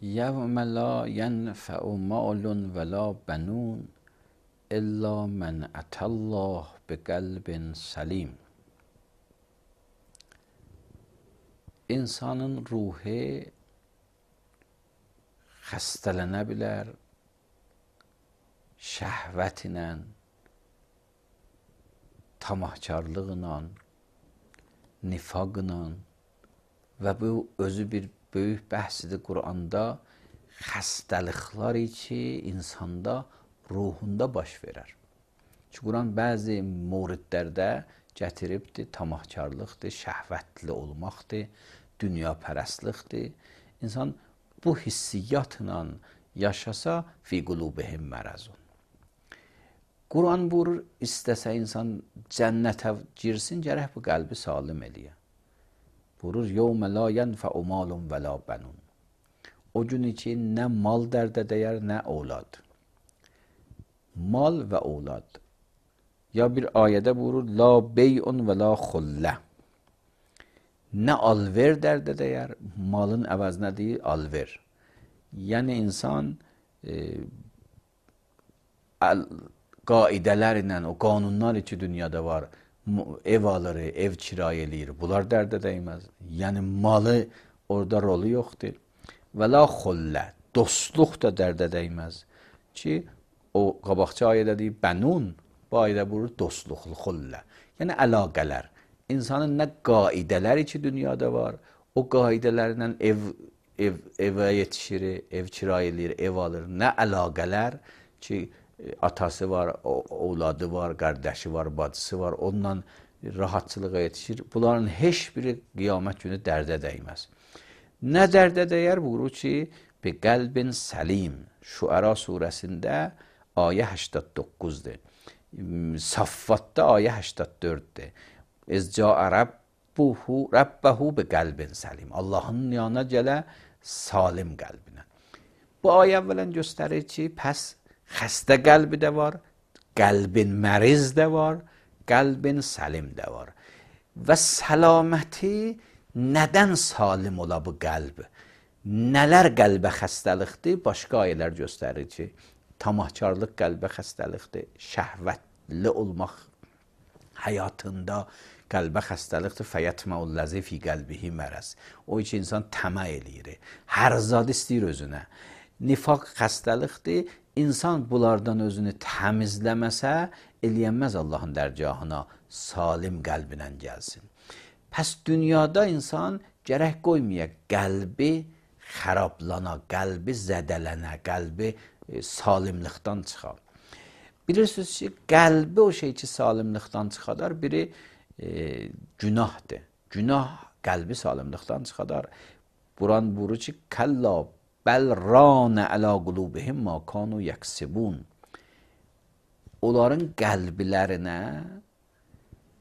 یوم لا ینفع مال ولا بنون الا من اتى الله بقلب سلیم. İnsanın ruhu xəstələnə bilər şəhvətlə, tamahkarlıqla, nifaqla və bu özü bir böyük bəhsidir Quranda. Xəstəliklər ki, insanda, ruhunda baş verər. Çünki Quran bəzi mövridlərdə gətiribdir, tamahkarlıqdır, şəhvətli olmaqdır, dünyapərəstlikdir. İnsan bu hissiyyatla yaşasa, fi qulubihim mərazun. Quran buyurur, istəsə insan cənnətə girsin, gərək bu qəlbi salim eləyə. Buyurur, yevmə la yenfə'u malun və la bənun. O gün ki, nə mal dərdə dəyər, nə oğlad. Mal və oğlad. Ya bir ayədə buyurur, la bey'un və la xullə. Nə alver dərdə dəyər, malın əvəzinə deyir, alver. Yəni insan qaidələrlə, o qanunlar ki dünyada var, ev alır, ev kirayə eləyir, bunlar dərdə dəyməz. Yəni malı orada rolu yoxdur. Və la xullə, dostluq da dərdə dəyməz. Ki o qabaqçı ayədə deyir, bənun, bu ayədə buyurur, dostluq, xullə. Yəni əlaqələr. İnsanın nə qaidələri ki dünyada var, o qaidələrlə evə yetişir, ev kirayə eləyir, ev alır. Nə əlaqələr ki, atası var, ovladı var, qardaşı var, bacısı var, onunla rahatçılığa yetişir. Bunların heç biri qiyamət günü dərdə dəyməz. Nə dərdə dəyər? Buyurur ki, bi qəlbin səlim. Şüəra surəsində ayə 89-dur. Saffatda ayə 84-dür. İzcaə Rabbəhu bi qəlbin səlim. Allahın yanına gələ salim qəlbinə. Bu ayə əvvələn göstərir ki, pəs xəstə qəlbi də var, qəlbin məriz də var, qəlbin səlim də var. Və səlaməti nədən salim ola bu qəlb? Nələr qəlbə xəstəlikdir? Başqa ayələr göstərir ki, tamahkarlıq qəlbə xəstəlikdir, şəhvətli olmaq həyatında qəlbə xəstəlikdir. Fəyətməullazi fi qəlbihi mərəz. O ki, insan təmə eləyir, hər zad istəyir özünə. Nifaq xəstəlikdir. İnsan bunlardan özünü təmizləməsə, eləyənməz Allahın dərgahına, salim qəlbinə gəlsin. Pəs dünyada insan gərək qoymaya qəlbi xərablana, qəlbi zədələnə, qəlbi salimlikdən çıxar. Bilirsiniz ki, qəlbi o şey ki, salimlikdən çıxadar, biri günahdır. Günah qəlbi salimlikdən çıxadar. Quran buyurur ki, kəlla bəl ranə ələ qulubihim ma kanu yəksibun. Onların qəlbilərinə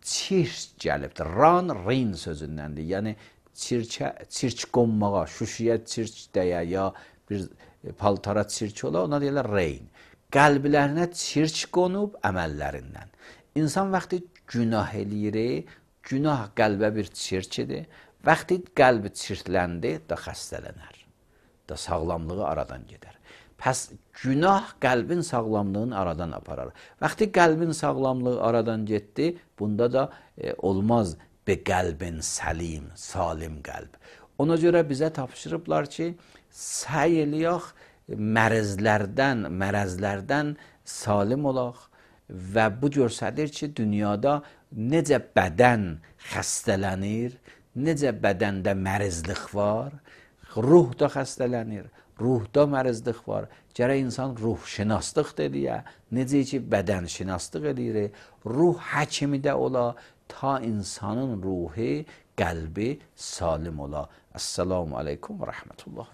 çirk gəlibdir. Ran, reyn sözündəndir. Yəni, çirk qonmağa, şüşüyə çirk dəyə, ya bir paltara çirk ola, ona deyirlər reyn. Qəlbilərinə çirk qonub əməllərindən. İnsan vaxtı günah eləyir, günah qəlbə bir çirkidir. Vaxtı qəlbi çirkləndi, da xəstələnər. Da sağlamlığı aradan gedər. Pəs günah qəlbin sağlamlığını aradan aparar. Vaxtı qəlbin sağlamlığı aradan getdi, bunda da olmaz bi qəlbin səlim, salim qəlb. Ona görə bizə tapşırıblar ki, səy eləyək, mərəzlərdən salim olaq və bu göstərir ki, dünyada necə bədən xəstələnir, necə bədəndə mərizlik var, ruh da xəstələnir, ruhda mərizlik var. Gərək insan ruhşünaslıq deyə, necə ki, bədən şünaslıq edir, ruh həkimi də ola, ta insanın ruhu, qəlbi salim ola. Əssalamu aleykum və rəhmətullah.